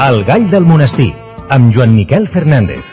El gall del monestir, amb Joan Miquel Fernández.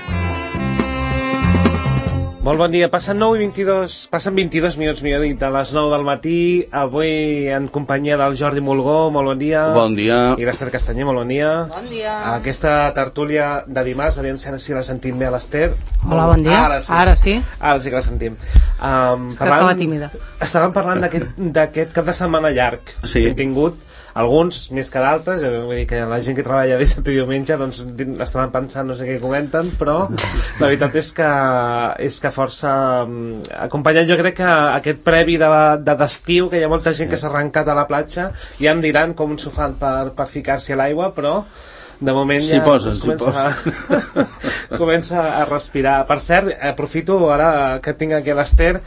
Molt bon dia, passen 22 minuts, millor dit, a les 9 del matí, avui en companyia del Jordi Mulgó, molt bon dia. Bon dia. I l'Ester Castanyer, molt bon dia. Bon dia. Aquesta tertúlia de dimarts, aviam si la sentim bé a l'Ester. Hola, bon dia. Ara sí. Ara sí que la sentim. És que estava tímida. Estàvem parlant d'aquest cap de setmana llarg que hem tingut. Alguns més que d'altres, vull dir que la gent que treballa dissabte i diumenge doncs estaven pensant no sé què comenten, però la veritat és que força acompanyant, jo crec que aquest previ d'estiu, que hi ha molta gent que s'ha arrencat a la platja, ja em diran com s'ho fan per ficar-s'hi a l'aigua, però de moment ja comença a respirar. Per cert, aprofito ara que tinc aquí l'Ester,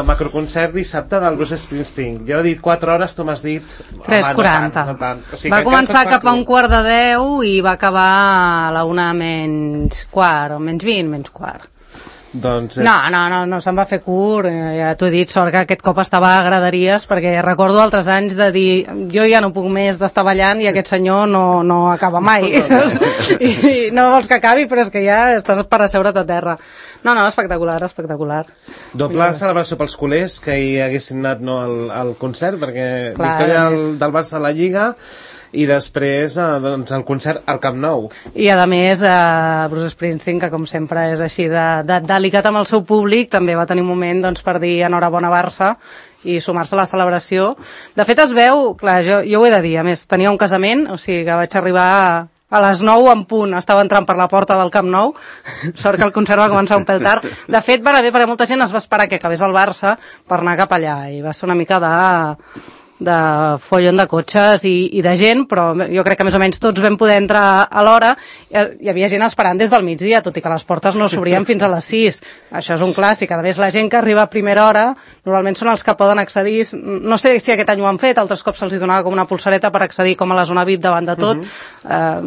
macroconcert dissabte del Bruce Springsteen. Jo he dit 4 hores, tu m'has dit 3:40. no tant. O sigui, va començar cap a 9:45 i va acabar a la 1 menys quart, o menys 20, menys quart. Doncs, No, se'n va fer curt, ja t'ho he dit, sort que aquest cop estava a graderies, perquè recordo altres anys de dir, jo ja no puc més d'estar ballant i aquest senyor no acaba mai, i no vols que acabi, però és que ja estàs per asseure't a terra. No, espectacular. Doble celebració pels culers, que hi haguessin anat al concert, perquè clar, victòria del Barça a la Lliga, i després doncs, el concert al Camp Nou. I a més Bruce Springsteen, que com sempre és així de delicat amb el seu públic, també va tenir un moment doncs, per dir enhorabona Barça i sumar-se a la celebració. De fet es veu, clar, jo ho he de dir, a més tenia un casament, o sigui que vaig arribar a les 9 en punt, estava entrant per la porta del Camp Nou, sort que el concert va començar un pèl tard. De fet va anar bé perquè molta gent es va esperar que acabés el Barça per anar cap allà, i va ser una mica de follon de cotxes i de gent, però jo crec que més o menys tots vam poder entrar a l'hora. Hi havia gent esperant des del migdia, tot i que les portes no s'obrien fins a les 6. Això és un clàssic. A més, la gent que arriba a primera hora normalment són els que poden accedir. No sé si aquest any ho han fet, altres cops se'ls donava com una pulsareta per accedir com a la zona VIP davant de tot.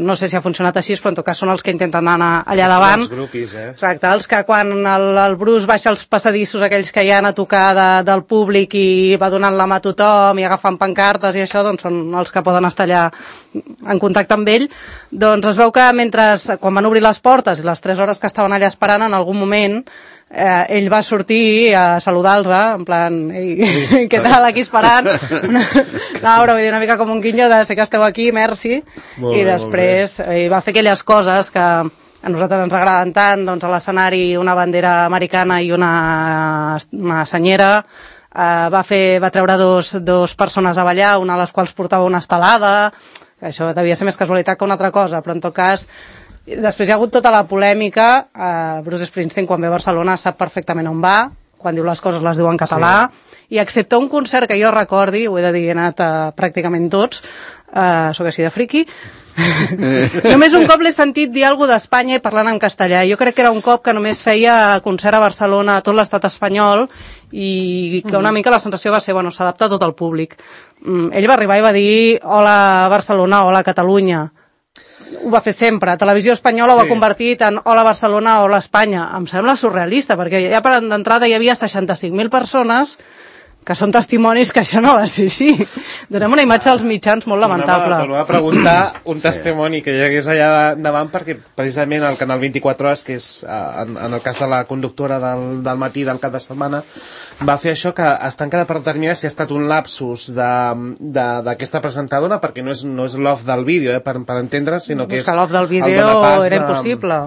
No sé si ha funcionat així, però en tot cas són els que intenten anar allà davant. Els grupis, Exacte, els que quan el Bruce baixa els passadissos, aquells que hi han a tocar del públic i va donant la mà a tothom i fan pancartes i això, doncs són els que poden estar allà en contacte amb ell. Doncs es veu que quan van obrir les portes i les 3 hores que estaven allà esperant, en algun moment ell va sortir a saludar-los, en plan, ei, què tal, aquí esperant? Però vull dir, una mica com un guinyo de sé que esteu aquí, merci. I després va fer aquelles coses que a nosaltres ens agraden tant, doncs a l'escenari una bandera americana i una senyera. Va treure dos persones a ballar, una de les quals portava una estelada, que això devia ser més casualitat que una altra cosa, però en tot cas després hi ha hagut tota la polèmica. Bruce Springsteen quan ve a Barcelona sap perfectament on va, quan diu les coses les diu en català, i excepte un concert que jo recordi, ho he de dir, he anat a pràcticament tots, sóc així de friqui, només un cop l'he sentit dir alguna d'Espanya i parlant en castellà. Jo crec que era un cop que només feia concert a Barcelona a tot l'estat espanyol i que una mica la sensació va ser, s'adapta a tot el públic. Ell va arribar i va dir hola Barcelona, hola Catalunya. Ho va fer sempre. Televisió Espanyola ho ha convertit en hola Barcelona, hola Espanya. Em sembla surrealista, perquè ja per d'entrada hi havia 65.000 persones que són testimonis que això no va ser així. Donem una imatge als mitjans molt lamentable. T'ho va preguntar un testimoni que hi hagués allà davant, perquè precisament el canal 24 Hores, que és en el cas de la conductora del matí del cap de setmana, va fer això, que està encara per determinar si ha estat un lapsus d'aquesta presentadora, perquè no és l'off del vídeo, per entendre, sinó que és l'off del vídeo era impossible.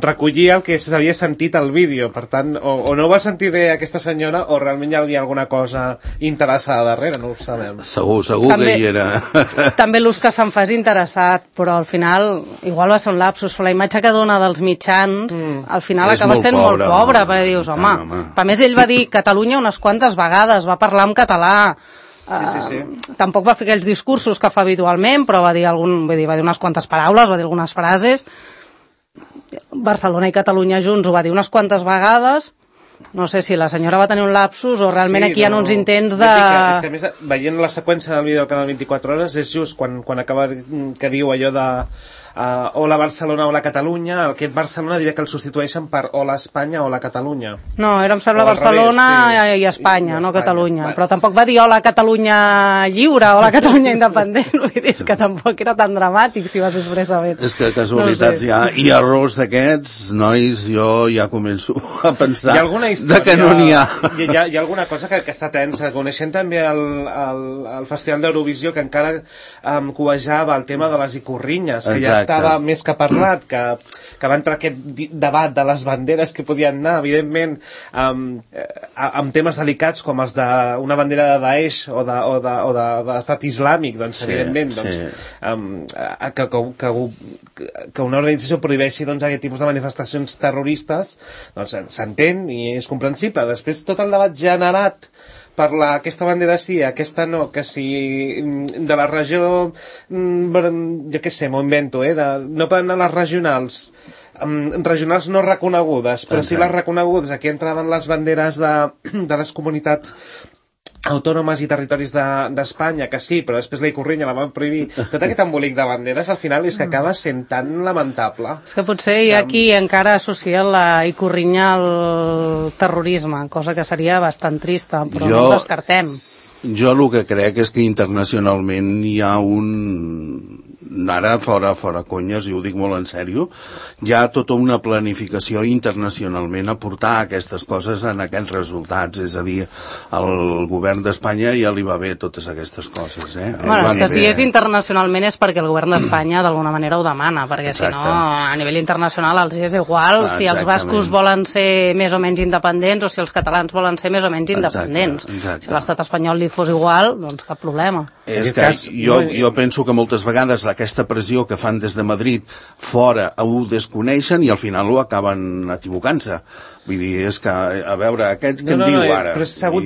Recollir el que s'havia sentit al vídeo. Per tant, o no ho va sentir bé aquesta senyora, o realment hi havia alguna cosa interessada darrere, no ho sabem. Segur també, que hi era. També l'ús que se'n fas interessat, però al final igual va ser un lapsus, però la imatge que dona dels mitjans al final acaba sent molt pobra, perquè dius, home. A més ell va dir Catalunya unes quantes vegades, va parlar en català. Sí. Tampoc va fer aquells discursos que fa habitualment, però va dir unes quantes paraules, va dir algunes frases. Barcelona i Catalunya junts ho va dir unes quantes vegades. No sé si la senyora va tenir un lapsus o realment aquí hi ha uns intents de... És que a més, veient la seqüència del vídeo del canal 24 Hores, és just quan acaba que diu allò de Hola Barcelona, Hola Catalunya. Aquest Barcelona diria que el substitueixen per Hola Espanya, Hola Catalunya. No, era, em sembla, Barcelona i Espanya, no Catalunya. Però tampoc va dir Hola Catalunya lliure, Hola Catalunya independent. Vull dir, és que tampoc era tan dramàtic si vas expressament. És que casualitats hi ha, i errors d'aquests, nois, jo ja començo a pensar que no n'hi ha. Hi ha alguna cosa que està tensa. Coneixent també el Festival d'Eurovisió, que encara covejava el tema de les icorrinyes, que ja estava més que parlat, que va entrar aquest debat de les banderes que podien anar, evidentment, amb temes delicats com els d'una bandera de Daesh o de l'estat islàmic, doncs, evidentment, que una organització prohibeixi aquest tipus de manifestacions terroristes, doncs s'entén i és comprensible. Després, tot el debat generat per aquesta bandera sí, aquesta no, que si de la regió, jo què sé, m'ho invento, no poden anar les regionals no reconegudes, però sí les reconegudes. Aquí entraven les banderes de les comunitats autònomes i territoris d'Espanya, que sí, però després la icorrinya la van prohibir. Tot aquest embolic de banderes al final és que acaba sent tan lamentable. És que potser hi ha qui encara associa la icorrinya al terrorisme, cosa que seria bastant trista, però no ho descartem. Jo el que crec és que internacionalment hi ha ara fora conyes, i ho dic molt en sèrio, hi ha tota una planificació internacionalment a portar aquestes coses en aquests resultats, és a dir, al govern d'Espanya ja li va bé totes aquestes coses, Bueno, és que si és internacionalment és perquè el govern d'Espanya d'alguna manera ho demana, perquè si no, a nivell internacional els és igual si els bascos volen ser més o menys independents o si els catalans volen ser més o menys independents. Si l'estat espanyol li fos igual, doncs cap problema. És que jo penso que moltes vegades aquesta pressió que fan des de Madrid fora ho desconeixen i al final ho acaben equivocant-se. Vull dir, és que, a veure, aquest que em diu ara... Però s'ha hagut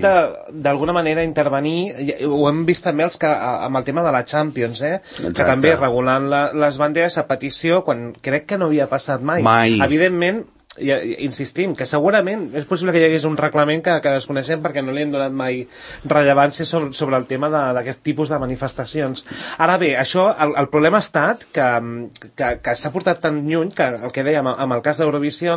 d'alguna manera intervenir, ho hem vist també amb el tema de la Champions, que també regulant les banderes a petició, quan crec que no havia passat mai. Evidentment, insistim, que segurament és possible que hi hagués un reglament que desconeixem perquè no li hem donat mai rellevància sobre el tema d'aquest tipus de manifestacions. Ara bé, això, el problema ha estat que s'ha portat tan lluny que el que dèiem amb el cas d'Eurovisió,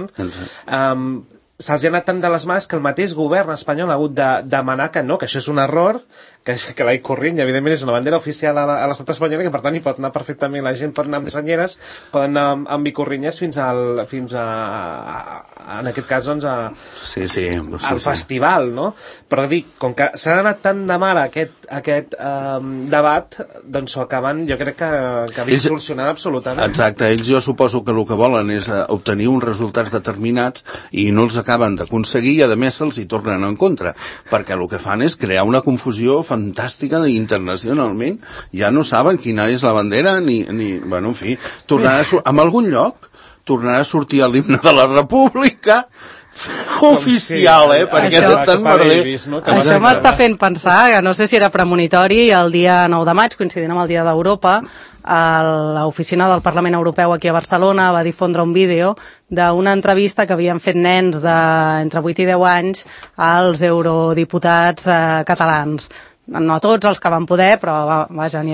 se'ls ha anat tant de les mans que el mateix govern espanyol ha hagut de demanar que no, que això és un error, que la icorrinya, evidentment, és una bandera oficial a l'estat espanyol i que, per tant, hi pot anar perfectament. La gent pot anar amb senyeres, poden anar amb icorrinyes fins a en aquest cas, doncs, al festival, no? Però dic, com que s'ha anat tant de mar aquest debat, doncs ho acaben, jo crec que distorsionant absolutament. Exacte, ells jo suposo que el que volen és obtenir uns resultats determinats i no els acaben d'aconseguir i a més se'ls hi tornen en contra, perquè el que fan és crear una confusió fantàstica internacionalment, ja no saben quina és la bandera ni bueno, en fi, en algun lloc tornarà a sortir l'himne de la República oficial, perquè tot tan merder. Això m'està fent pensar, que no sé si era premonitori, el dia 9 de maig, coincidint amb el Dia d'Europa, l'oficina del Parlament Europeu aquí a Barcelona va difondre un vídeo d'una entrevista que havien fet nens d'entre 8 i 10 anys als eurodiputats catalans. No tots els que van poder, però vaja, hi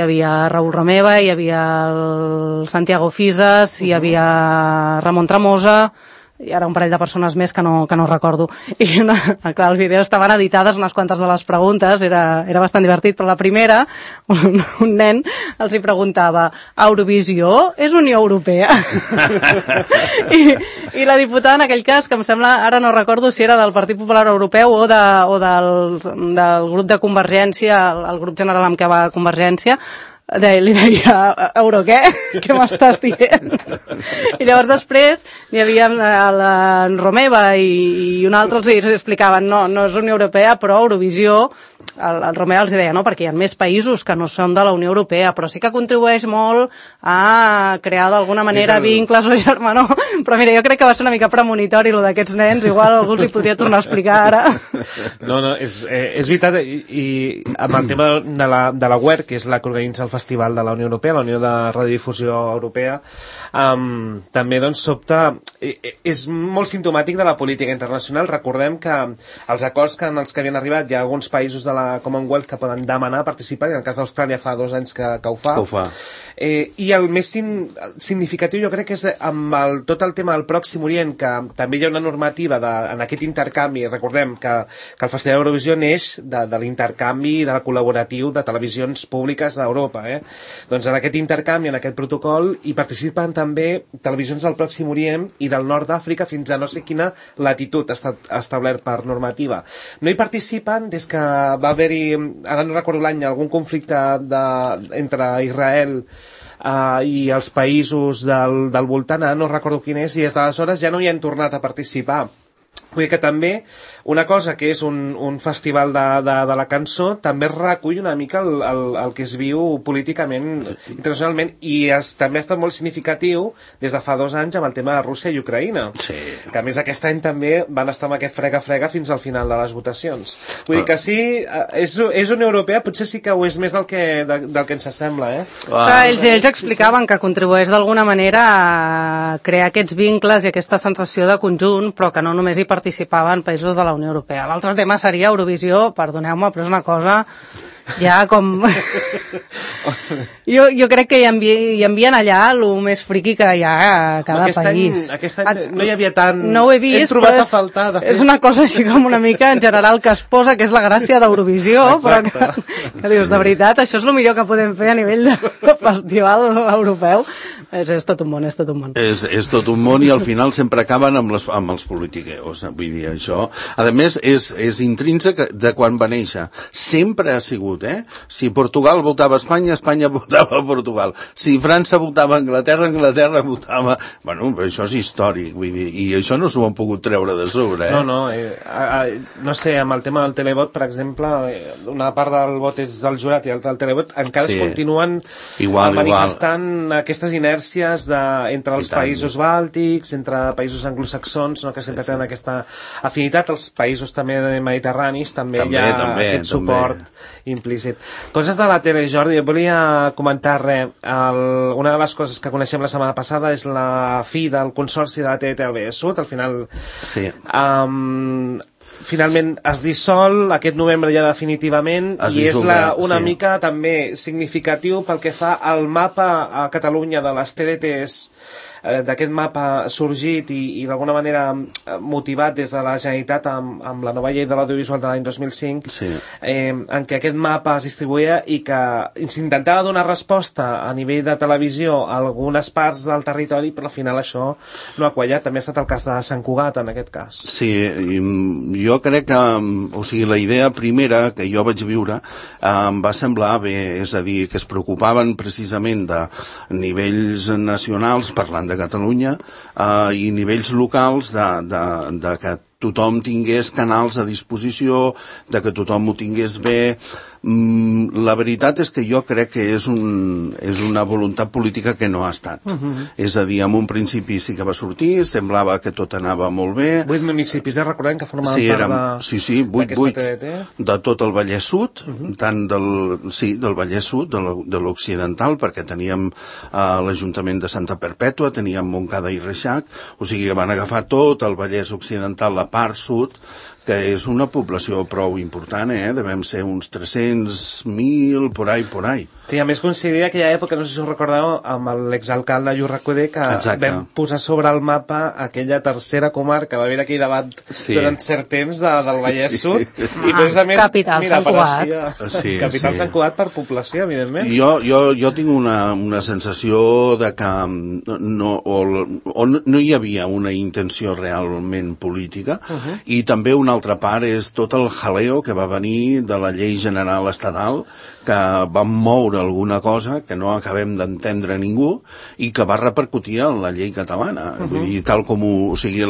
havia Raül Romeva, hi havia el Santiago Fisas, hi havia Ramon Tremosa, i ara un parell de persones més que no recordo. I clar, al vídeo estaven editades unes quantes de les preguntes, era bastant divertit, però la primera, un nen els hi preguntava: Eurovisió és Unió Europea? I la diputada en aquell cas, que em sembla, ara no recordo si era del Partit Popular Europeu o del grup de Convergència, el grup general amb què va Convergència, li deia: euro què? Què m'estàs dient? I llavors després hi havia la Romeva i un altre els explicaven no és Unió Europea, però Eurovisió, el Romeva els deia no, perquè hi ha més països que no són de la Unió Europea, però sí que contribueix molt a crear d'alguna manera vincles o germanor. Però mira, jo crec que va ser una mica premonitori lo d'aquests nens, igual algú els hi podria tornar a explicar ara. No, és veritat, i amb el tema de la UER, que és la que organitza el Festival de la Unió Europea, la Unió de Radiodifusió Europea, també doncs sobta, és molt simptomàtic de la política internacional. Recordem que els acords en els que havien arribat hi ha alguns països de la Commonwealth que poden demanar participar, i en el cas d'Austràlia fa 2 anys que ho fa. I el més significatiu jo crec que és amb tot el tema del Pròxim Orient, que també hi ha una normativa en aquest intercanvi. Recordem que el Festival d'Eurovisió neix de l'intercanvi de la col·laboratiu de televisions públiques d'Europa. Doncs en aquest intercanvi, en aquest protocol, hi participen també televisions del Pròxim Orient i del nord d'Àfrica fins a no sé quina latitud està establert per normativa. No hi participen des que va haver-hi, ara no recordo l'any, algun conflicte entre Israel i els països del voltant, no recordo quin és, i des d'aleshores ja no hi han tornat a participar. Vull dir que també una cosa que és un festival de la cançó també recull una mica el que es viu políticament internacionalment, i també ha estat molt significatiu des de fa 2 anys amb el tema de Rússia i Ucraïna, que a més aquest any també van estar amb aquest frega-frega fins al final de les votacions. Vull dir que sí, és Unió Europea, potser sí que ho és més del que ens sembla. Ells explicaven que contribueix d'alguna manera a crear aquests vincles i aquesta sensació de conjunt, però que no només hi participaven països de la Unió Europea. L'altre tema seria Eurovisió, perdoneu-me, però és una cosa ja com... jo crec que hi envien allà el més friqui que hi ha a cada país. Aquest any no hi havia tant... No ho he vist, he trobat a faltar, de fet. És una cosa així com una mica en general que es posa, que és la gràcia d'Eurovisió, però que dius, de veritat, això és el millor que podem fer a nivell de festival europeu. És tot un món, és tot un món. És tot un món, i al final sempre acaben amb els politiqueos. Vull dir, això... A més, és intrínsec de quan va néixer. Sempre ha sigut, Si Portugal votava a Espanya, Espanya votava a Portugal. Si França votava a Anglaterra, Anglaterra votava... Bueno, això és històric, vull dir, i això no s'ho han pogut treure de sobre, No sé, amb el tema del televot, per exemple, una part del vot és del jurat i l'altra del televot, encara es continuen manifestant aquestes inèrcies entre els països bàltics, entre països anglosaxons, que sempre tenen aquesta afinitat, els països també mediterranis, també hi ha aquest suport implícit. Coses de la tele, Jordi, jo volia comentar una de les coses que coneixem la setmana passada és la fi del consorci de la TTV Sud. Al final finalment es dissol aquest novembre ja definitivament, i és una mica també significatiu pel que fa al mapa a Catalunya de les TDTs, d'aquest mapa sorgit i d'alguna manera motivat des de la Generalitat amb la nova llei de l'audiovisual de l'any 2005, en què aquest mapa es distribuïa i que s'intentava donar resposta a nivell de televisió a algunes parts del territori, però al final això no ha quallat. També ha estat el cas de Sant Cugat en aquest cas. Sí, jo crec que, o sigui, la idea primera que jo vaig viure em va semblar bé, és a dir, que es preocupaven precisament de nivells nacionals, parlant de Catalunya, i nivells locals de que tothom tingués canals a disposició, de que tothom ho tingués bé. La veritat és que jo crec que és una voluntat política que no ha estat. És a dir, en un principi sí que va sortir, semblava que tot anava molt bé. 8 municipis, recordem que formaven part d'aquesta TDT. De tot el Vallès Sud, tant del Vallès Sud, de l'Occidental, perquè teníem l'Ajuntament de Santa Perpètua, teníem Montcada i Reixac, o sigui que van agafar tot el Vallès Occidental, la part sud, que és una població prou important, devem ser uns 300.000, por ahí. Sí, a més coincidia aquella època, no sé si us recordeu, amb l'exalcalde Lluís Recoder, que vam posar sobre el mapa aquella tercera comarca, va haver aquell debat durant cert temps del Vallès Sud, i precisament Capital Sant Cugat. Capital Sant Cugat per població, evidentment. Jo tinc una sensació de que no hi havia una intenció realment política, i també una altra part és tot el jaleo que va venir de la llei general estatal, que va moure alguna cosa que no acabem d'entendre ningú i que va repercutir en la llei catalana. Vull dir, tal com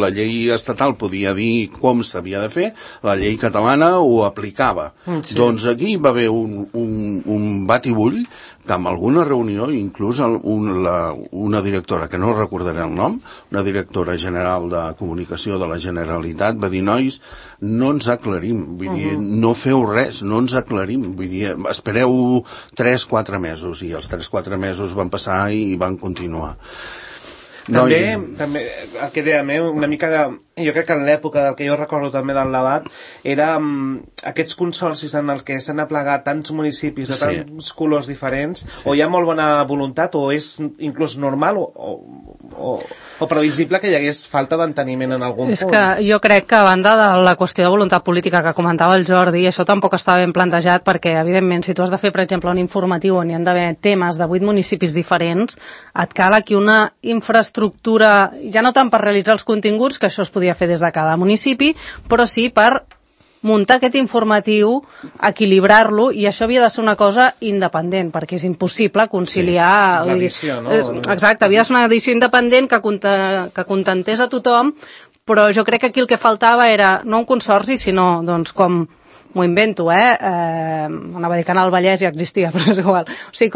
la llei estatal podia dir com s'havia de fer, la llei catalana ho aplicava. Doncs aquí va haver un batibull que amb alguna reunió, inclús una directora, que no recordaré el nom, una directora general de comunicació de la Generalitat, va dir, nois, no ens aclarim, vull dir, no feu res, no ens aclarim, vull dir, espereu 3-4 mesos, i els 3-4 mesos van passar i van continuar. També el que dèiem, una mica de... Jo crec que en l'època del que jo recordo també del debat era aquests consorcis en els que s'han aplegat tants municipis de tants colors diferents, o hi ha molt bona voluntat o és inclús normal o previsible que hi hagués falta d'enteniment en algun punt. És que jo crec que a banda de la qüestió de voluntat política que comentava el Jordi, això tampoc està ben plantejat perquè, evidentment, si tu has de fer, per exemple, un informatiu on hi han d'haver temes de 8 municipis diferents, et cal aquí una infraestructura, ja no tant per realitzar els continguts, que això es podia fer des de cada municipi, però sí per muntar aquest informatiu, equilibrar-lo, i això havia de ser una cosa independent, perquè és impossible conciliar... L'edició, no? Exacte, havia de ser una edició independent que contentés a tothom, però jo crec que aquí el que faltava era no un consorci, sinó, doncs, com m'ho invento, anava a dir que Canal Vallès ja existia, però és igual. O sigui,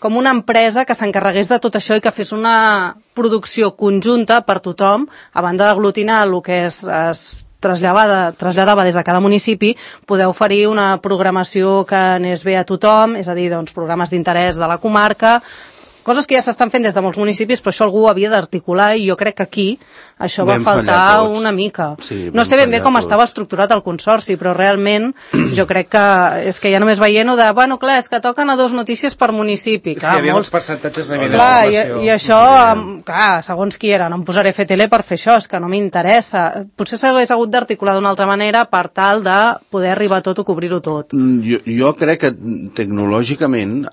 com una empresa que s'encarregués de tot això i que fes una producció conjunta per tothom, a banda d'aglutinar el que es traslladava des de cada municipi, poder oferir una programació que anés bé a tothom, és a dir, doncs, programes d'interès de la comarca, coses que ja s'estan fent des de molts municipis, però això algú havia d'articular, i jo crec que aquí això va faltar una mica. No sé ben bé com estava estructurat el consorci, però realment jo crec que és que ja només veient-ho de, bueno, clar, és que toquen a 2 notícies per municipi. Clar, hi havia uns percentatges de I això, clar, segons qui era, no em posaré a fer tele per fer això, és que no m'interessa. Potser s'hagués hagut d'articular d'una altra manera per tal de poder arribar a tot o cobrir-ho tot. Jo crec que tecnològicament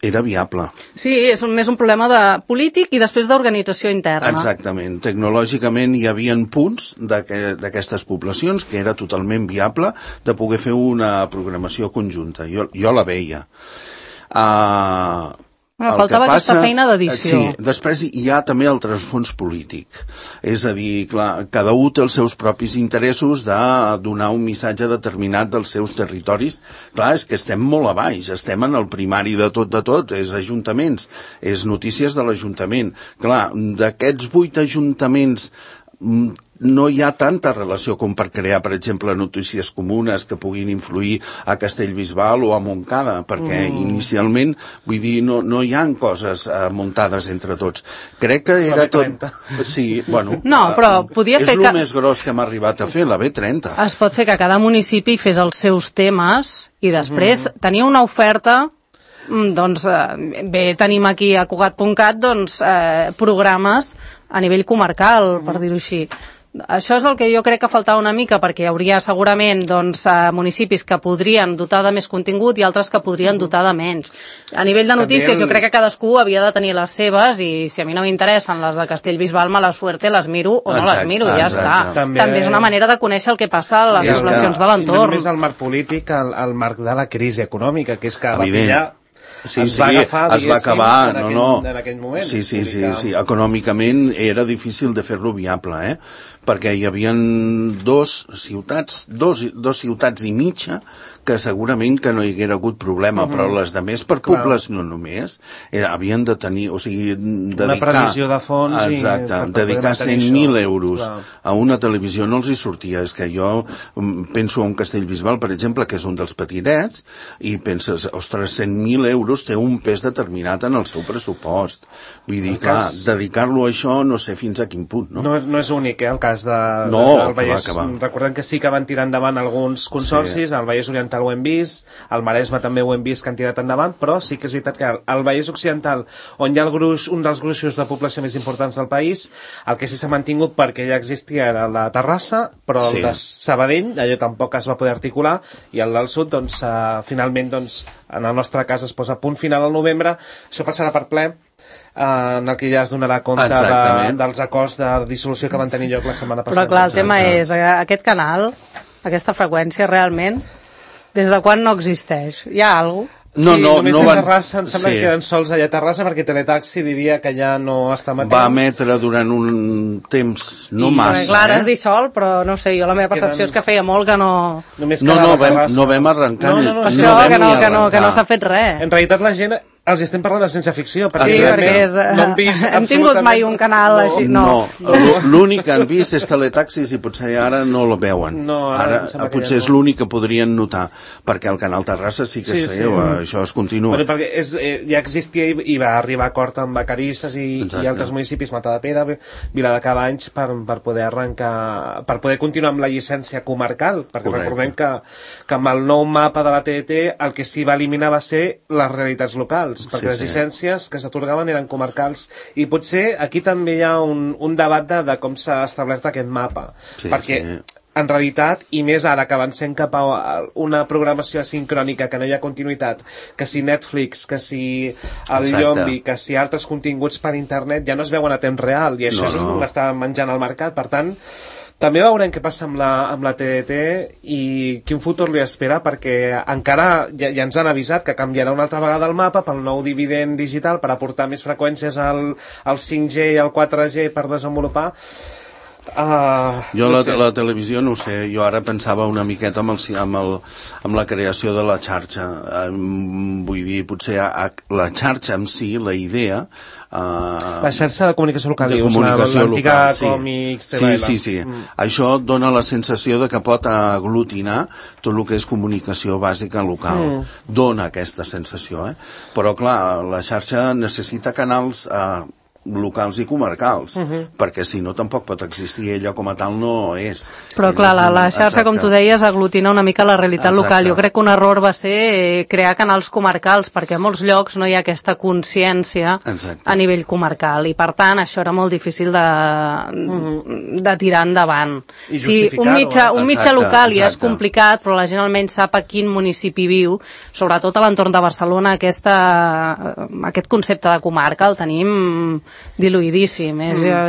era viable. Sí, és més un problema de polític i després d'organització interna. Exactament. Tecnològicament hi havia punts d'aquestes poblacions que era totalment viable de poder fer una programació conjunta. Jo la veia. Faltava aquesta feina d'edició. Sí, després hi ha també el trasfons polític. És a dir, clar, cada un té els seus propis interessos de donar un missatge determinat dels seus territoris. Clar, és que estem molt a baix, estem en el primari de tot, és ajuntaments, és notícies de l'Ajuntament. Clar, d'aquests 8 ajuntaments no hi ha tanta relació com per crear, per exemple, notícies comunes que puguin influir a Castellbisbal o a Montcada, perquè inicialment, vull dir, no hi ha coses muntades entre tots. Crec que era tot... Sí, bueno... No, però podia fer és el més gros que m'ha arribat a fer, la B30. Es pot fer que cada municipi fes els seus temes i després tenia una oferta... doncs bé, tenim aquí a Cugat.cat doncs programes a nivell comarcal, per dir-ho així. Això és el que jo crec que faltava una mica, perquè hi hauria segurament doncs, municipis que podrien dotar de més contingut i altres que podrien dotar de menys. A nivell de notícies, jo crec que cadascú havia de tenir les seves, i si a mi no m'interessen les de Castellbisbal, mala suerte, les miro o no les miro, ja està. També és una manera de conèixer el que passa a les poblacions de l'entorn. I no només el marc polític, el marc de la crisi econòmica, que és que va pillar... es va acabar, en aquell moment. Sí, econòmicament era difícil de fer-lo viable, perquè hi havia dos ciutats i mitja que segurament que no hi haguera hagut problema, però les de més per població només havien de tenir, o sigui, dedicar... Una previsió de fons dedicar 100.000 euros a una televisió no els hi sortia. És que jo penso en Castellbisbal, per exemple, que és un dels petitets, i penses, ostres, 100.000 euros té un pes determinat en el seu pressupost. Vull dir, clar, dedicar-lo a això no sé fins a quin punt, no? No és únic, el cas del Vallès. Recordem que sí que van tirar endavant alguns consorcis, el Vallès Oriental ho hem vist, el Maresme també ho hem vist que han tirat endavant, però sí que és veritat que al Vallès Occidental, on hi ha un dels gruixos de població més importants del país, el que sí s'ha mantingut perquè ja existia era la Terrassa, però el de Sabadell, allò tampoc es va poder articular, i el del sud, doncs, finalment, doncs, en el nostre cas es posa a punt final al novembre, això passarà per ple, en el que ja es donarà compte dels acords de dissolució que van tenir lloc la setmana passada. Però clar, el tema és, aquest canal, aquesta freqüència realment, des de quan no existeix? Hi ha alguna cosa? Només a Terrassa, em sembla que queden sols allà a Terrassa, perquè Teletaxi diria que ja no està emetent. Va emetre durant un temps no massa. Clar, es dissol, però no sé, jo la meva percepció és que feia molt que no... No vam arrencar. Que no s'ha fet res. En realitat la gent Els estem parlant de ciència-ficció, perquè hem tingut mai un canal així. No, l'únic que han vist és Teletaxis i potser ara no lo veuen. Ara potser és l'únic que podrien notar, perquè el canal Terrassa sí que es feia, això es continua. Perquè ja existia i va arribar a acord amb Vacarisses i altres municipis, Matadepera, Viladecavalls, per poder arrencar, per poder continuar amb la llicència comarcal, perquè recordem que amb el nou mapa de la TDT el que s'hi va eliminar va ser les realitats locals, perquè les llicències que s'atorgaven eren comarcals, i potser aquí també hi ha un debat de com s'ha establert aquest mapa, perquè en realitat, i més ara que avancem cap a una programació asincrònica, que no hi ha continuïtat, que si Netflix, que si el Yombi, que si altres continguts per internet ja no es veuen a temps real, i això és el que està menjant el mercat. Per tant, també veurem què passa amb la TDT i quin futur li espera, perquè encara ja ens han avisat que canviarà una altra vegada el mapa pel nou dividend digital per aportar més freqüències al 5G i al 4G per desenvolupar. Jo la televisió no ho sé, jo ara pensava una miqueta amb la creació de la xarxa, vull dir, potser la xarxa en si, la idea, la xarxa de comunicació local, l'antiga Còmics, sí. Això dona la sensació de que pot aglutinar tot el que és comunicació bàsica local, dona aquesta sensació, però clar, la xarxa necessita canals locals i comarcals, perquè si no tampoc pot existir, ella com a tal no és. Però clar, la xarxa, com tu deies, aglutina una mica la realitat local. Jo crec que un error va ser crear canals comarcals, perquè a molts llocs no hi ha aquesta consciència a nivell comarcal, i per tant això era molt difícil de tirar endavant. Si un mitjà local ja és complicat, però la gent almenys sap a quin municipi viu, sobretot a l'entorn de Barcelona, aquest concepte de comarca el tenim diluïdíssim.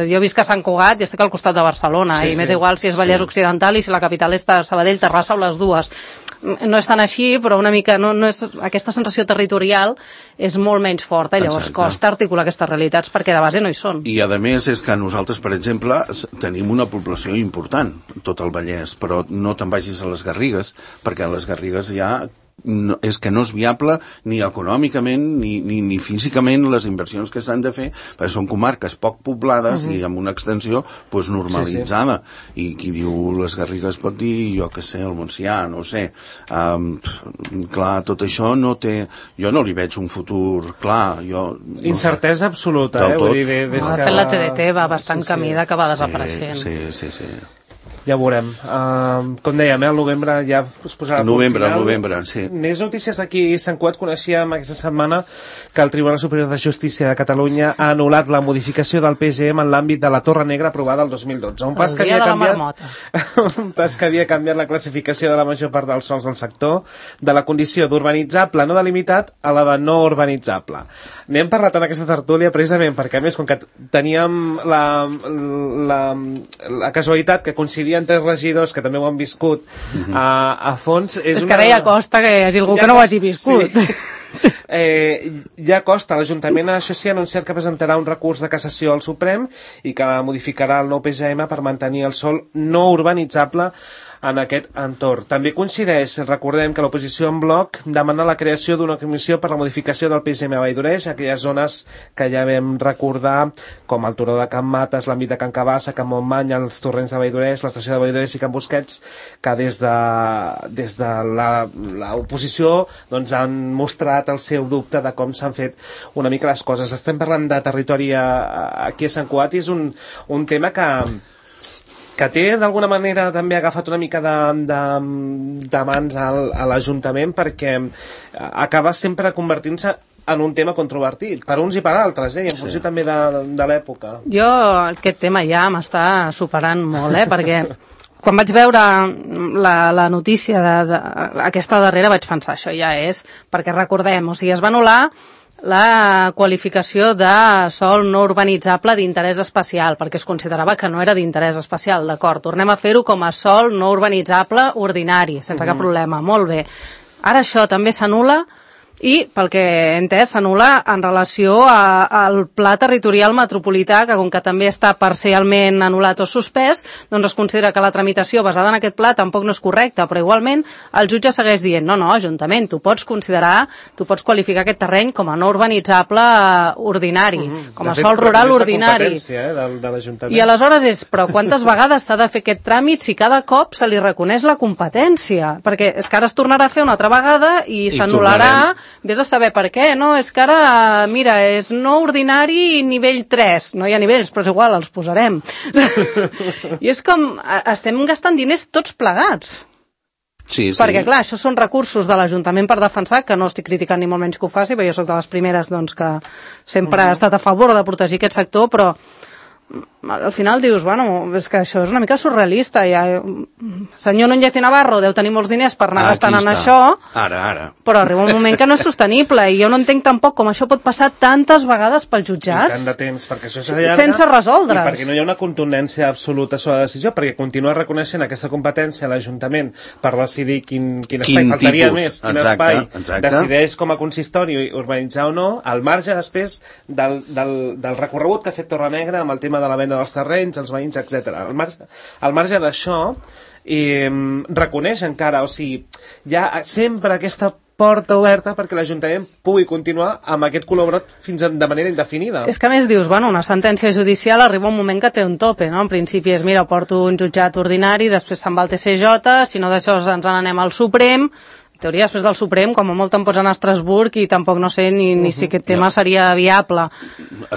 Jo visc a Sant Cugat i estic al costat de Barcelona, i m'és igual si és Vallès Occidental i si la capital és Sabadell, Terrassa o les dues. No és tan així, però una mica aquesta sensació territorial és molt menys forta, i llavors costa articular aquestes realitats perquè de base no hi són. I a més és que nosaltres, per exemple, tenim una població important, tot el Vallès, però no te'n vagis a les Garrigues, perquè a les Garrigues ja és que no és viable ni econòmicament ni físicament les inversions que s'han de fer, perquè són comarques poc poblades i amb una extensió normalitzada, i qui diu les Garrigues pot dir, jo què sé, el Montsià, no ho sé. Clar, tot això no té, jo no li veig un futur clar. Incertesa absoluta, vull dir, de fet la TDT va bastant camí d'acabar desapareixent. Sí. Ja ho veurem. Com dèiem, al novembre ja es posarà al novembre, sí. Més notícies d'aquí. Sant Cugat coneixíem aquesta setmana que el Tribunal Superior de Justícia de Catalunya ha anul·lat la modificació del PGM en l'àmbit de la Torre Negra aprovada el 2012. Un pas que havia canviat la classificació de la major part dels sols del sector, de la condició d'urbanitzable no delimitat a la de no urbanitzable. N'hem parlat en aquesta tertúlia precisament perquè, a més, com que teníem la casualitat que coincidien tres regidors que també ho han viscut a fons. És que ara ja costa que hi hagi algú que no ho hagi viscut. Ja costa. L'Ajuntament això sí ha anunciat que presentarà un recurs de cassació al Suprem i que modificarà el nou PGM per mantenir el sòl no urbanitzable en aquest entorn. També coincideix, recordem que l'oposició en bloc demana la creació d'una comissió per la modificació del PGM a Valldoreix, aquelles zones que ja vam recordar, com el Turó de Can Mates, l'àmbit de Can Cabassa, Can Montmany, els torrents de Valldoreix, l'estació de Valldoreix i Can Busquets, que des de l'oposició han mostrat el seu dubte de com s'han fet una mica les coses. Estem parlant de territori aquí a Sant Cugat i és un tema que té d'alguna manera també agafat una mica de mans a l'Ajuntament, perquè acaba sempre convertint-se en un tema controvertit, per uns i per altres, i en funció també de l'època. Jo aquest tema ja m'està superant molt, perquè quan vaig veure la notícia aquesta darrera vaig pensar, això ja és, perquè recordem, o sigui, es va anul·lar la qualificació de sòl no urbanitzable d'interès especial, perquè es considerava que no era d'interès especial, d'acord, tornem a fer-ho com a sòl no urbanitzable ordinari, sense cap problema, molt bé. Ara això també s'anul·la i, pel que he entès, s'anul·la en relació al pla territorial metropolità, que com que també està parcialment anul·lat o suspès, doncs es considera que la tramitació basada en aquest pla tampoc no és correcta, però igualment el jutge segueix dient, no, Ajuntament, tu pots qualificar aquest terreny com a no urbanitzable ordinari, com a sòl rural ordinari. I aleshores però quantes vegades s'ha de fer aquest tràmit si cada cop se li reconeix la competència? Perquè és que ara es tornarà a fer una altra vegada i s'anul·larà. Vés a saber per què, no? És que ara, mira, és no ordinari nivell 3. No hi ha nivells, però és igual, els posarem. I és com, estem gastant diners tots plegats. Sí. Perquè, clar, això són recursos de l'Ajuntament per defensar, que no estic criticant ni molt menys que ho faci, perquè jo soc de les primeres doncs, que sempre he estat a favor de protegir aquest sector, però al final dius, bueno, és que això és una mica surrealista. Senyor Núñez i Navarro deu tenir molts diners per anar gastant en això, però arriba un moment que no és sostenible, i jo no entenc tampoc com això pot passar tantes vegades pels jutjats. I tant de temps, perquè això s'allarga, sense resoldre's. I perquè no hi ha una contundència absoluta sobre la decisió, perquè continua reconeixent aquesta competència a l'Ajuntament per decidir quin espai faltaria més, quin espai decideix com a consistori urbanitzar o no, al marge després del recorregut que ha fet Torrenegra amb el tema de la venda dels terrenys, els veïns, etc. Al marge d'això, reconeix encara, o sigui, hi ha sempre aquesta porta oberta perquè l'Ajuntament pugui continuar amb aquest color brot fins de manera indefinida. És que a més dius, bueno, una sentència judicial arriba un moment que té un tope, no? En principi és, mira, porto un jutjat ordinari, després se'n va al TCJ, si no d'això ens n'anem al Suprem. En teoria, després del Suprem, com a molt te'n pots anar a Estrasburg i tampoc no sé ni si aquest tema seria viable.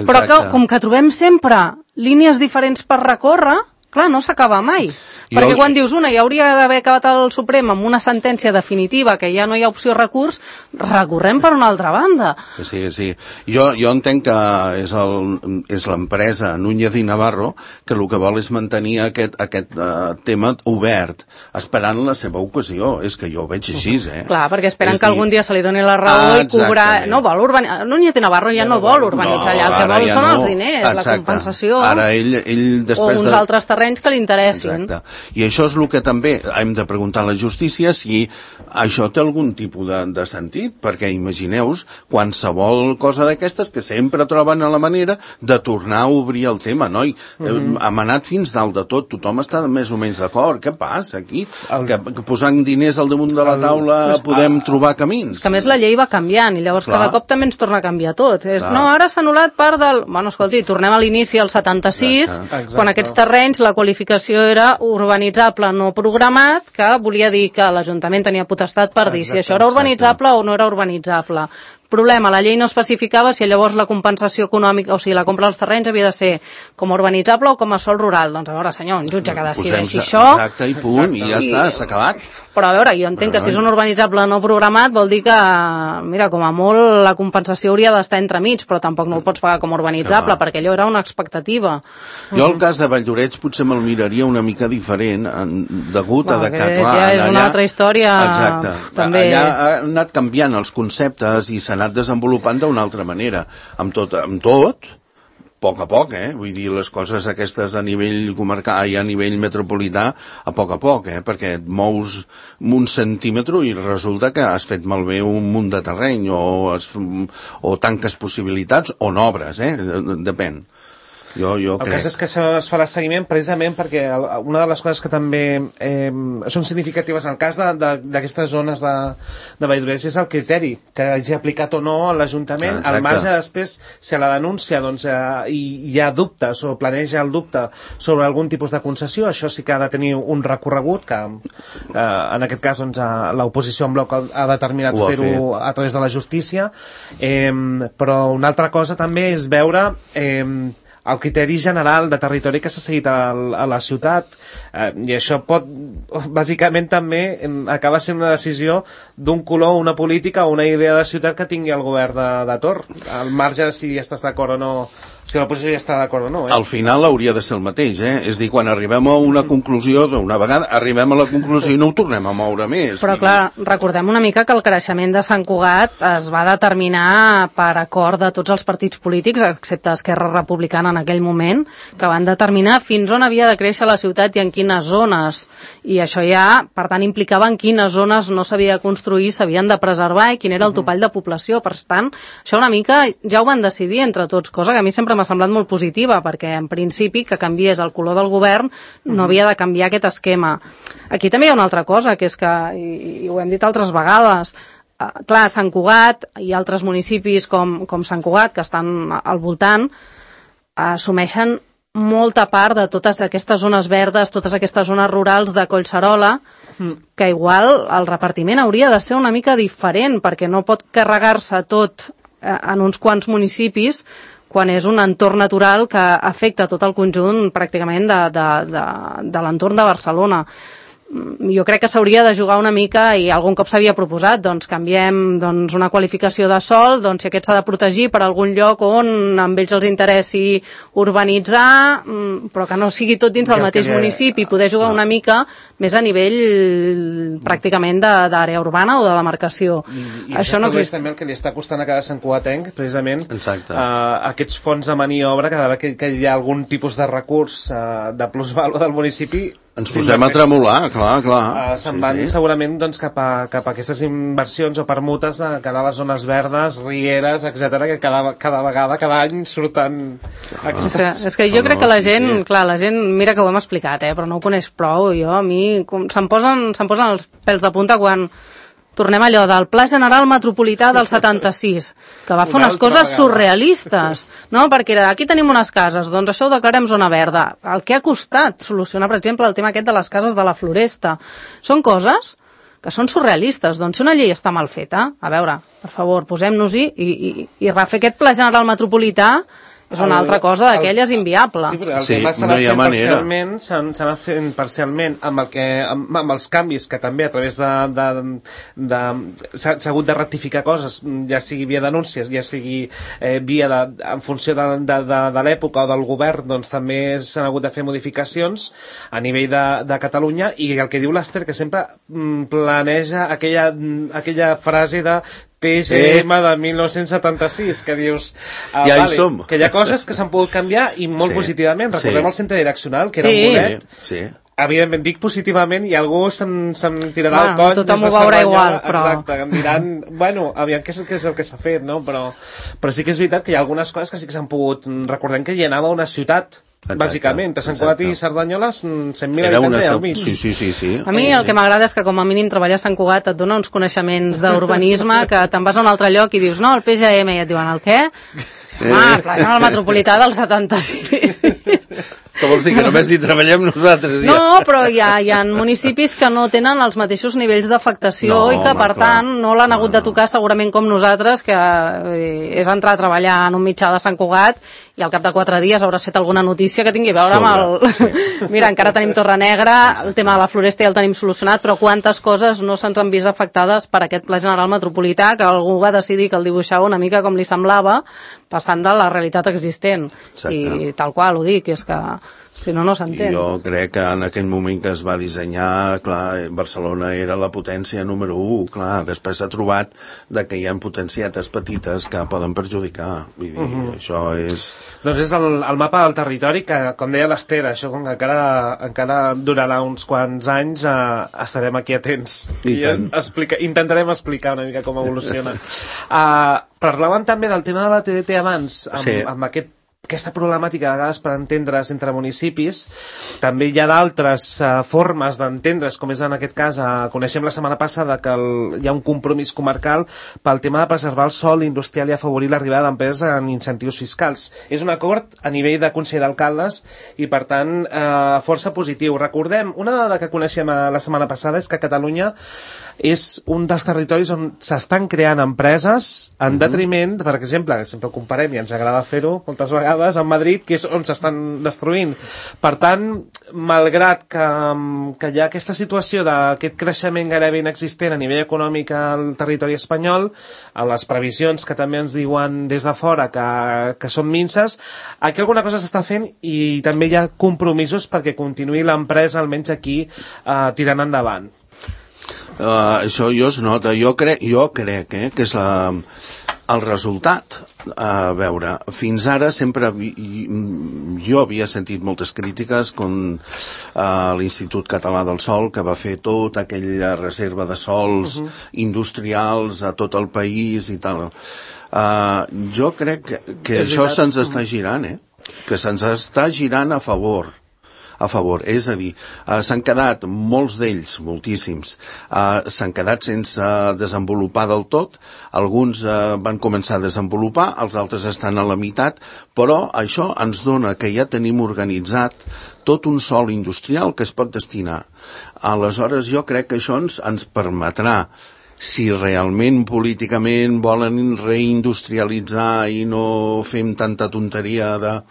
Però que, com que trobem sempre línies diferents per recórrer, clar, no s'acaba mai. Perquè quan dius una, ja hauria d'haver acabat el Suprem amb una sentència definitiva, que ja no hi ha opció recurs, recorrem per una altra banda. Sí. Jo entenc que és l'empresa Núñez i Navarro que el que vol és mantenir aquest tema obert, esperant la seva ocasió. És que jo ho veig així, Clar, perquè esperen que algun dia se li doni la raó i cobrar... No vol urbanitzar... Núñez i Navarro ja no vol urbanitzar allà, el que vol són els diners, la compensació... Ara ell després o uns altres terrenys que li interessin. Exacte. I això és el que també hem de preguntar a la justícia, si això té algun tipus de sentit, perquè imagineu-vos qualsevol cosa d'aquestes que sempre troben a la manera de tornar a obrir el tema, no? Hem anat fins dalt de tot, tothom està més o menys d'acord. Què passa aquí? Que posant diners al damunt de la taula podem trobar camins. Que a més la llei va canviant i llavors cada cop també ens torna a canviar tot. No, ara s'ha anul·lat part del... Bueno, escolti, tornem a l'inici al 76, quan aquests terrenys la qualificació era urbanitzable no programat, que volia dir que l'Ajuntament tenia potestat per dir si això era urbanitzable o no era urbanitzable. Problema, la llei no especificava si llavors la compensació econòmica, o sigui, la compra dels terrenys havia de ser com a urbanitzable o com a sòl rural. Doncs a veure, senyor, un jutge que decideixi això... Exacte, i punt, i ja està, s'ha acabat. Però a veure, jo entenc que si és un urbanitzable no programat vol dir que, mira, com a molt la compensació hauria d'estar entremig, però tampoc no el pots pagar com a urbanitzable, perquè allò era una expectativa. Jo el cas de Valldoreix potser me'l miraria una mica diferent, degut a que, clar... Ja és una altra història... Exacte. Allà ha anat canviant els conceptes i s'ha anat desenvolupant d'una altra manera. Amb tot, a poc, vull dir, les coses aquestes a nivell comarcal i a nivell metropolità, a poc, perquè et mous un centímetre i resulta que has fet malbé un munt de terreny o tanques possibilitats o n'obres, depèn. El cas és que això es farà seguiment precisament perquè una de les coses que també són significatives en el cas d'aquestes zones de Valldoreix és el criteri que hagi aplicat o no l'Ajuntament, al marge després si a la denúncia hi ha dubtes o planeja el dubte sobre algun tipus de concessió, això sí que ha de tenir un recorregut que en aquest cas l'oposició en bloc ha determinat fer-ho a través de la justícia, però una altra cosa també és veure el criteri general de territori que s'ha seguit a la ciutat, i això pot bàsicament també acabar sent una decisió d'un color, una política o una idea de ciutat que tingui el govern de torn, al marge de si estàs d'acord o no, si l'oposició ja està d'acord o no. Al final hauria de ser el mateix, és dir, quan arribem a una conclusió, d'una vegada arribem a la conclusió i no ho tornem a moure més. Però clar, recordem una mica que el creixement de Sant Cugat es va determinar per acord de tots els partits polítics, excepte Esquerra Republicana en aquell moment, que van determinar fins on havia de créixer la ciutat i en quines zones. I això ja, per tant, implicava en quines zones no s'havia de construir, s'havien de preservar i quin era el topall de població. Per tant, això una mica ja ho van decidir entre tots, cosa que a mi sempre m'ha semblat molt positiva, perquè en principi que canviés el color del govern no havia de canviar aquest esquema. Aquí també hi ha una altra cosa, que és que, i ho hem dit altres vegades, clar, Sant Cugat i altres municipis com Sant Cugat, que estan al voltant, assumeixen molta part de totes aquestes zones verdes, totes aquestes zones rurals de Collserola, que igual el repartiment hauria de ser una mica diferent, perquè no pot carregar-se tot en uns quants municipis quan és un entorn natural que afecta tot el conjunt pràcticament de l'entorn de Barcelona. Jo crec que s'hauria de jugar una mica, i algun cop s'havia proposat, doncs canviem una qualificació de sòl, doncs si aquest s'ha de protegir per algun lloc on amb ells els interessi urbanitzar, però que no sigui tot dins del mateix municipi, poder jugar una mica més a nivell pràcticament d'àrea urbana o de demarcació. I això no és també el que li està costant a cada Sant Cugatenc, precisament, aquests fons de maniobra, cada vegada que hi ha algun tipus de recurs de plusvàlua del municipi, ens posem a tremolar, clar. Se'n van segurament cap a aquestes inversions o permutes de cara a les zones verdes, rieres, etc, que cada vegada, cada any surten aquestes... És que jo crec que la gent, clar, la gent, mira que ho hem explicat, però no ho coneix prou. A mi se'm posen els pèls de punta quan tornem allò del Pla General Metropolità del 76, que va fer unes coses surrealistes, no? Perquè aquí tenim unes cases, doncs això ho declarem zona verda. El que ha costat solucionar, per exemple, el tema aquest de les cases de la Floresta. Són coses que són surrealistes. Doncs si una llei està mal feta, a veure, per favor, posem-nos-hi i refer aquest Pla General Metropolità és una altra cosa d'aquelles inviable. Sí, però el tema s'ha anat fent parcialment amb els canvis que també a través s'ha hagut de rectificar coses, ja sigui via denúncies, ja sigui via en funció de l'època o del govern, doncs també s'han hagut de fer modificacions a nivell de Catalunya, i el que diu l'Ester, que sempre planeja aquella frase de PGM de 1976, que dius ja hi som, que hi ha coses que s'han pogut canviar i molt positivament. Recordem el centre direccional, que era un bolet, evidentment dic positivament, i algú se'm tirarà al coll, tothom ho veurà igual, però... Exacte, em diran, aviam què és el que s'ha fet, no? Però sí que és veritat que hi ha algunes coses que sí que s'han pogut... Recordem que hi anava una ciutat, bàsicament, a Sant Cugat i Cerdanyola 100.000 habitants al mig. Sí. A mi el que m'agrada és que com a mínim treballar a Sant Cugat et dona uns coneixements d'urbanisme, que te'n vas a un altre lloc i dius, no, el PGM, i et diuen, el què? Pla General Metropolità del 76. Que vols dir, que només hi treballem nosaltres? Ja. No, però hi ha municipis que no tenen els mateixos nivells d'afectació i que, per tant, no l'han hagut de tocar segurament com nosaltres, que és entrar a treballar en un mitjà de Sant Cugat i al cap de 4 dies hauràs fet alguna notícia que tingui a veure amb el... Mira, encara tenim Torrenegra, el tema de la Floresta ja el tenim solucionat, però quantes coses no se'ns han vist afectades per aquest Pla General Metropolità, que algú va decidir que el dibuixava una mica com li semblava, passant de la realitat existent. I tal qual ho dic, és que si no, no s'entén. Jo crec que en aquell moment que es va dissenyar, clar, Barcelona era la potència número 1, clar, després s'ha trobat que hi ha potencietes petites que poden perjudicar. Vull dir, això és... Doncs és el mapa del territori que, com deia l'Ester, això com que encara durarà uns quants anys, estarem aquí atents. I intentarem explicar una mica com evoluciona. Parlàvem també del tema de la TDT abans, amb aquesta problemàtica de vegades per entendre's entre municipis. També hi ha d'altres formes d'entendre's, com és en aquest cas, coneixem la setmana passada que hi ha un compromís comarcal pel tema de preservar el sòl industrial i afavorir l'arribada d'empreses en incentius fiscals. És un acord a nivell de Consell d'Alcaldes i, per tant, força positiu. Recordem, una dada que coneixem la setmana passada és que Catalunya és un dels territoris on s'estan creant empreses en detriment, per exemple, sempre ho comparem i ens agrada fer-ho moltes vegades, amb Madrid, que és on s'estan destruint. Per tant, malgrat que hi ha aquesta situació d'aquest creixement gairebé inexistent a nivell econòmic al territori espanyol, a les previsions que també ens diuen des de fora que són minces, aquí alguna cosa s'està fent i també hi ha compromisos perquè continuï l'empresa, almenys aquí, tirant endavant. Això jo es nota, jo crec que és El resultat, a veure, fins ara sempre jo havia sentit moltes crítiques com l'Institut Català del Sòl, que va fer tota aquella reserva de sòls industrials a tot el país i tal. Jo crec que això se'ns està girant, que se'ns està girant a favor, és a dir, s'han quedat molts d'ells, moltíssims, s'han quedat sense desenvolupar del tot, alguns van començar a desenvolupar, els altres estan a la meitat, però això ens dona que ja tenim organitzat tot un sòl industrial que es pot destinar. Aleshores jo crec que això ens permetrà, si realment políticament volen reindustrialitzar i no fem tanta tonteria de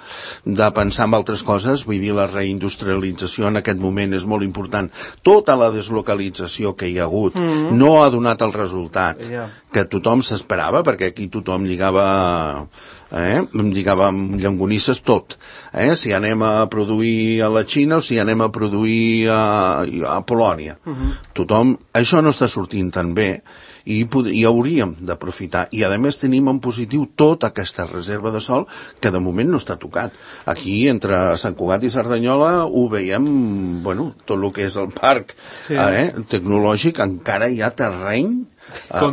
pensar en altres coses, vull dir, la reindustrialització en aquest moment és molt important. Tota la deslocalització que hi ha hagut no ha donat el resultat que tothom s'esperava, perquè aquí tothom lligava amb llangonisses tot. Si anem a produir a la Xina o si anem a produir a Polònia. Tothom, això no està sortint tan bé i hauríem d'aprofitar. I a més tenim en positiu tota aquesta reserva de sòl que de moment no està tocat. Aquí, entre Sant Cugat i Cerdanyola, ho veiem, tot el que és el parc tecnològic, encara hi ha terreny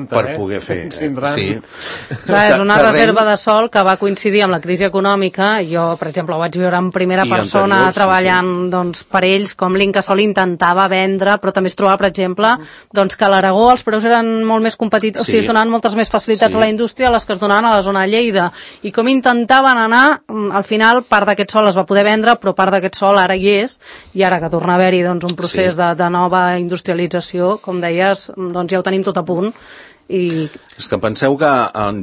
per poder fer. Clar, és una reserva de sòl que va coincidir amb la crisi econòmica. Jo, per exemple, ho vaig viure en primera persona treballant per ells, com l'Incasòl intentava vendre, però també es trobava, per exemple, que a l'Aragó els preus eren molt més competitius, o sigui, es donaven moltes més facilitats a la indústria a les que es donaven a la zona de Lleida. I com intentaven anar, al final part d'aquest sòl es va poder vendre, però part d'aquest sòl ara hi és, i ara que torna a haver-hi un procés de nova industrialització, com deies, ja ho tenim tot a punt. És que penseu que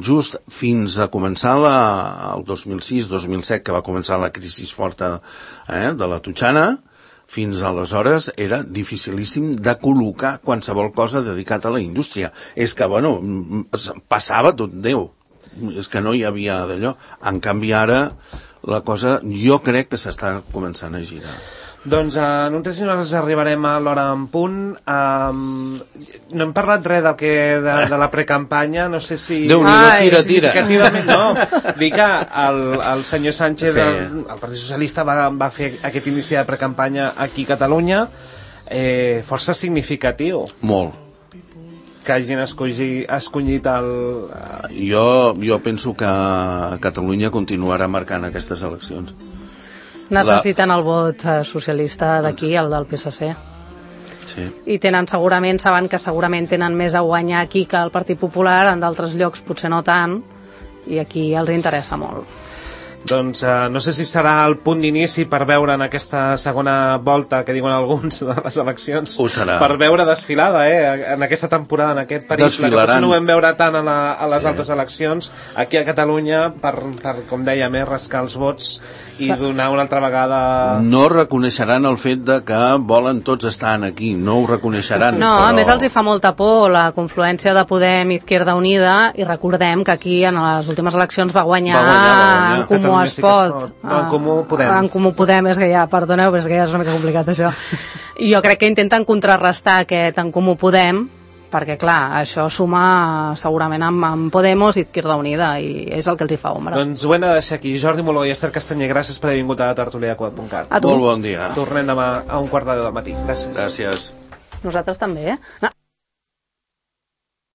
just fins a començar el 2006-2007, que va començar la crisi forta de la Totxana, fins aleshores era dificilíssim de col·locar qualsevol cosa dedicat a la indústria. És que, passava tot Déu. És que no hi havia d'allò. En canvi, ara, la cosa, jo crec que s'està començant a girar. Doncs en un 3 minuts arribarem a l'hora en punt. No hem parlat res de la precampanya, no sé si... Déu-n'hi-do, tira. No, dic que el senyor Sánchez, el Partit Socialista, va fer aquest inici de precampanya aquí a Catalunya força significatiu. Molt. Que hagin escollit el... Jo penso que Catalunya continuarà marcant aquestes eleccions. Necessiten el vot socialista d'aquí, el del PSC. Sí. I saben que segurament tenen més a guanyar aquí que el Partit Popular, en d'altres llocs potser no tant, i aquí els interessa molt. Doncs no sé si serà el punt d'inici per veure en aquesta segona volta, que diuen alguns, de les eleccions. Ho serà. Per veure desfilada, en aquesta temporada, en aquest periple, que potser no ho vam veure tant a les altres eleccions, aquí a Catalunya, per com deia, més rascar els vots i donar una altra vegada... No reconeixeran el fet de que volen tots estar aquí, no ho reconeixeran. No, a més els hi fa molta por la confluència de Podem i Izquierda Unida, i recordem que aquí en les últimes eleccions va guanyar En Comú es pot. En Comú Podem. En Comú Podem, és que ja, perdoneu, però és que ja és una mica complicat això. I jo crec que intenten contrarrestar aquest En Comú Podem, perquè clar, això suma segurament amb Podemos i Izquierda Unida, i és el que els hi fa ombra. Doncs ho hem de deixar aquí. Jordi Moló i Esther Castanyer, gràcies per haver vingut a tertulia.cat. Molt bon dia. Tornem demà a 1:15 del matí. Gràcies. Gràcies. Nosaltres també,